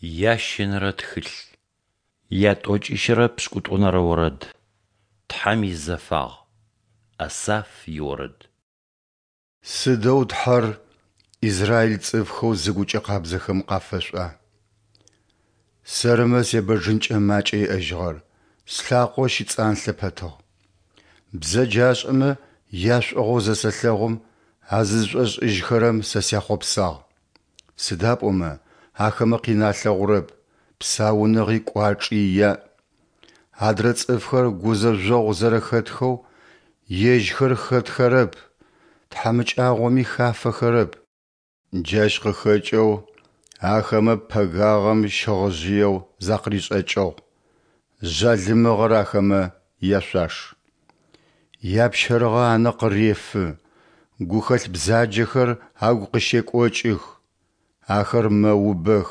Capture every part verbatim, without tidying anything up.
Ящэнэрэ тхылъ. Ятӏокӏищырэ пшӏыкӏутӏонэрэ орэд. Тхьэм изэфагъ. Асаф иорэд. Сыдэу Тхьэр израиль цӏыфхэу зыгукӏэ къабзэхэм къафэшӏуа! Сэрымэ себэджынкӏэ макӏэ иӏэжьыгъэр, слъакъо щыцӏанлъэ пэтыгъ. Бзэджашӏэмэ яшӏугъэу зэсэлъэгъум, а зызшӏошӏыжьхэрэм сэ сяхъопсагъ. Сыда пӏомэ ахэмэ къин алъэгъурэп, псауныгъи кӏуачӏи яӏ. Адрэ цӏыфхэр гузэжъогъу зэрэхэтхэу ежьхэр хэтхэрэп, тхьамыкӏагъоми хафэхэрэп. Джащ къыхэкӏэу ахэмэ пэгагъэм щыгъыжъыеу закъыришӏэкӏыгъ, жъалымыгъэр ахэмэ яшъуаш. Япщэрыгъэ анэ къырефы, гухэлъ бзаджэхэр агу къыщекӏокӏых, ахэр мэубэх,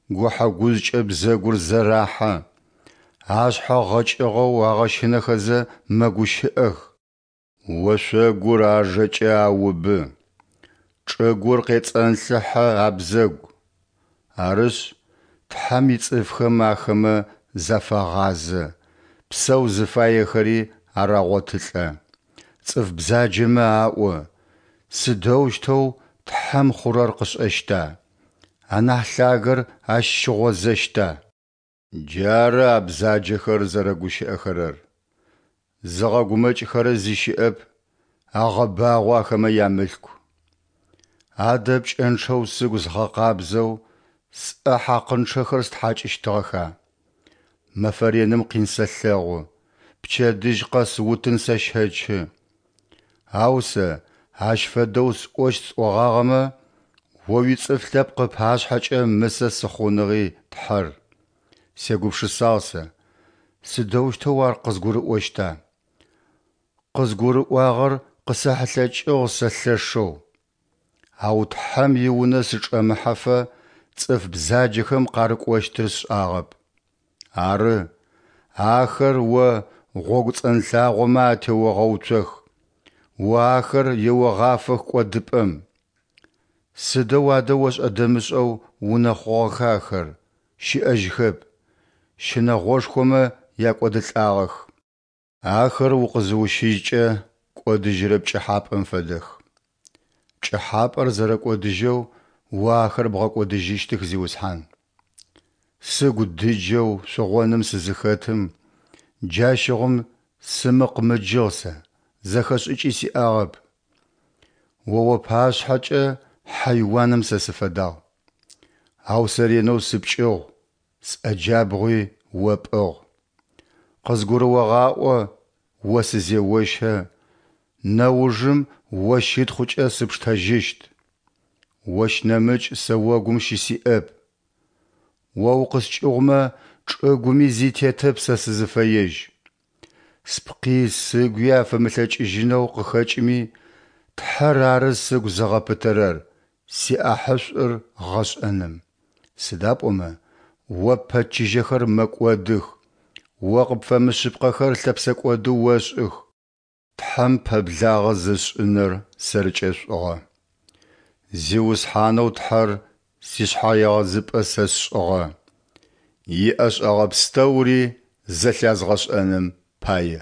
гухьэ-гужъкӏэ бзэгур зэрахьэ, ашъхьэ гъэкӏыгъэу агъэщынэхэзэ мэгущыӏэх. Ошъогур ажэкӏэ аубы, чӏыгур къецӏэнлъыхьэ абзэгу. Арышъ, Тхьэм ицӏыфхэм ахэмэ зафагъазэ, псэу зыфаехэри арагъотылӏэ. Цӏыф бзаджэмэ аӏо: Сыдэущтэу Тхьэм хъурэр къышӏэщта? Анахь Лъагэр Ащ щыгъозэщта? Джары а бзаджэхэр зэрэгущыӏэхэрэр, зыгъэгумэкӏхэрэ зи щыӏэп, агъэбагъо ахэмэ ямылъку. Адэ пкӏэнчъэу сыгу згъэкъабзэу, сӏэ хьакъынчъэхэр стхьакӏыщтыгъэха? Мэфэ реным къин сэлъэгъу, пчэдыжь къэс утын сэщэчы. Ау сэ ащ фэдэу сӏощт сӏогъагъэмэ, О уицӏыф лъэпкъ ыпашъхьэкӏэ мысэ сыхъуныгъи, Тхьэр. Сегупшысагъ сэ: сыдэущтэу ар къызгурыӏощта? Къызгурыӏуагъэр къысэхьылъэкӏыгъ сэ лъэшэу. Ау Тхьэм и Унэ сычӏэмыхьэфэ цӏыф бзаджэхэм къарыкӏощтыр сшӏагъэп. Ары, ахэр О гъогу цӏэнлъагъомэ атеогъэуцох, О ахэр еогъафэх кӏодыпӏэм. Сыдэу адэ ошӏэ-дэмышӏэу унэхъугъэха ахэр, щыӏэжьхэп, щынэгъошхомэ якӏодылӏагъэх. Ахэр укъызыущыжькӏэ кӏодыжьырэ пкӏыхьапӏэм фэдэх. Пкӏыхьапӏэр зэрэкӏодыжьэу О ахэр бгъэкӏодыжьыщтых, Зиусхьан. Сыгу дыджэу шъугъоным сызыхэтым, джащыгъум сымыкъмыджыгъ сэ, зэхэшӏыкӏи сиӏагъэп. О уапашъхьэкӏэ хьайуаным сэ сыфэдагъ. Ау сэ ренэу сыпкӏыгъу, сӏэ джабгъуи о пӏыгъ. Къызгурыогъаӏо о сызеощэ, нэужым о щытхъукӏэ сыпштэжьыщт. Ощ нэмыкӏ сэ огум щысиӏэп. О укъыскӏыгъумэ, чӏыгуми зи тетэп сэ сызыфэежь. Спкъи сыгуи афэмылъэкӏыжьынэу къыхэкӏыми, Тхьэр ары сыгу зыгъэпытэрэр, сиӏахьышӏур гъэшӏэным. Сыда пӏомэ О ппэчыжьэхэр мэкӏодых, О къыпфэмышъыпкъэхэр лъэпсэкӏоды ошӏых. Тхьэм пэблагъэ зысшӏыныр сэркӏэ шӏугъэ. Зиусхьанэу Тхьэр сишъхьэегъэзыпӏэ сэ сшӏыгъэ, иӏэшӏэгъэ пстэури зэлъязгъэшӏэным пае.